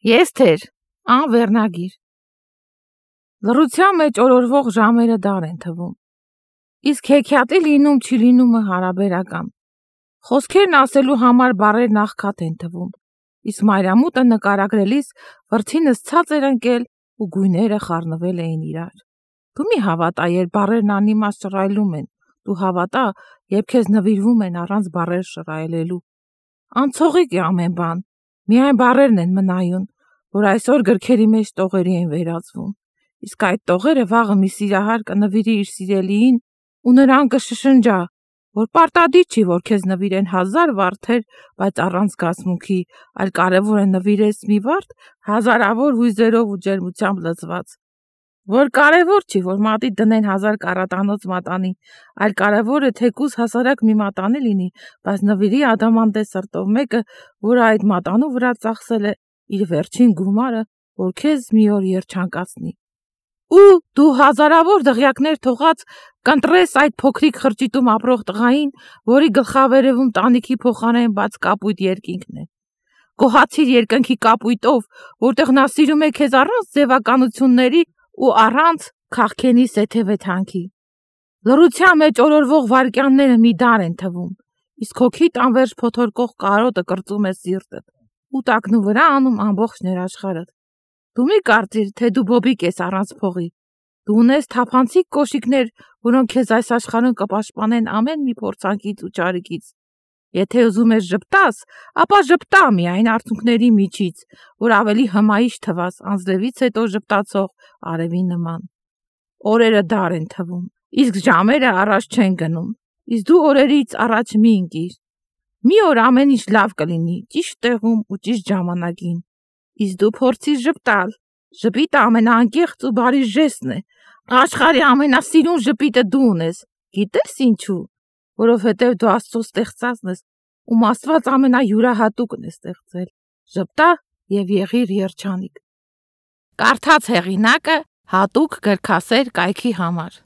Եստեր, անվերնագիր։ Լռության մեջ օրորվող ժամերը դար են թվում, իսկ հեքիաթի լինում չի լինումը հարաբերական։ Խոսքերն ասելու համար բառերն աղքատ են թվում, իսկ մայրամուտը նկարագրելիս վրձինս ցած էր ընկել ու գույները խառնվել էին իրար։ Դու մի հավատա, երբ բառերն անիմաստ շռայլում են, դու հավատա, երբ քեզ նվիրվում են առանց բառեր շռայլելու։ Անցողիկ է ամեն բան, միայն բառերն են մնայուն, որ այսօր գրքերի մեջ տողերի են վերածվում, իսկ այդ տողերը վաղը մի սիրահար կնվիրի իր սիրելիին ու նրան կշշնջա, որ պարտադիր չի, որ քեզ նվիրեն 1000 վարդեր, բայց առանց զգացմունքի, այլ կարևոր է նվիրես մի վարդ հազարավոր հույզերով ու ջերմությամբ լցված, որ կարևոր չի, որ մատիդ դնեն 1000 կարատանոց մատանի, այլ կարևոր է թեկուզ հասարակ մի մատանի լինի, բայց նվիրի ադամանդե սրտով մեկը, որը այդ մատանու վրա ծախսել է իր վերջին գումարը, որ քեզ մի օր երջանկացնի։ Ու դու հազարավոր դղյակներ թողած կընտրես այդ փոքրիկ խրճիտում ապրող տղային, որի գլխավերևում տանիքի փոխանեն բաց կապույտ երկինքն է։ Գոհացիր երկնքի կապույտով, որտեղ նա սիրում է քեզ առանց ձևականությունների ու առանց քաղքենի սեթևեթանքի։ Լռության մեջ օրորվող վայրկյանները մի դար են թվում, իսկ հոգիդ անվերջ փոթորկող կարոտը կրծում է սիրտդ ու տակնու վրա անում ամբողջ ներաշխարհդ։ Դու մի կարծիր, թե դու բոբիկ ես առանց փողի։ Դու ունես թափանցիկ կոշիկներ, որոնք քեզ այս աշխարհում կպաշտպանեն ամեն մի փորձանքից ու ճարիքից։ Եթե ուզում ես ժպտաս, ապա ժպտա միայն արցունքների միջից, որ ավելի հմայիչ թվաս անձրևից հետո ժպտացող արևի նման։ Օրերը դար են թվում, իսկ ժամերը առաջ չեն գնում, իսկ դու օրերից առաջ մի ընկիր։ Մի օր ամեն ինչ լավ կլինի, ճիշտ տեղում ու ճիշտ ժամանակին, իսկ դու փորձիր ժպտալ։ Ժպիտը ամենաանկեղծ ու բարի ժեստն է, աշխարհի ամենասիրուն ժպիտը դու ունես, գիտես ինչու, որովհետև դու Աստծո ստեղծածն ես, ում Աստված ամենայուրահատուկն է ստեղծել։ Ժպտա եւ եղիր երջանիկ։ Կարդաց հեղինակը հատուկ գրքասեր կայքի համար։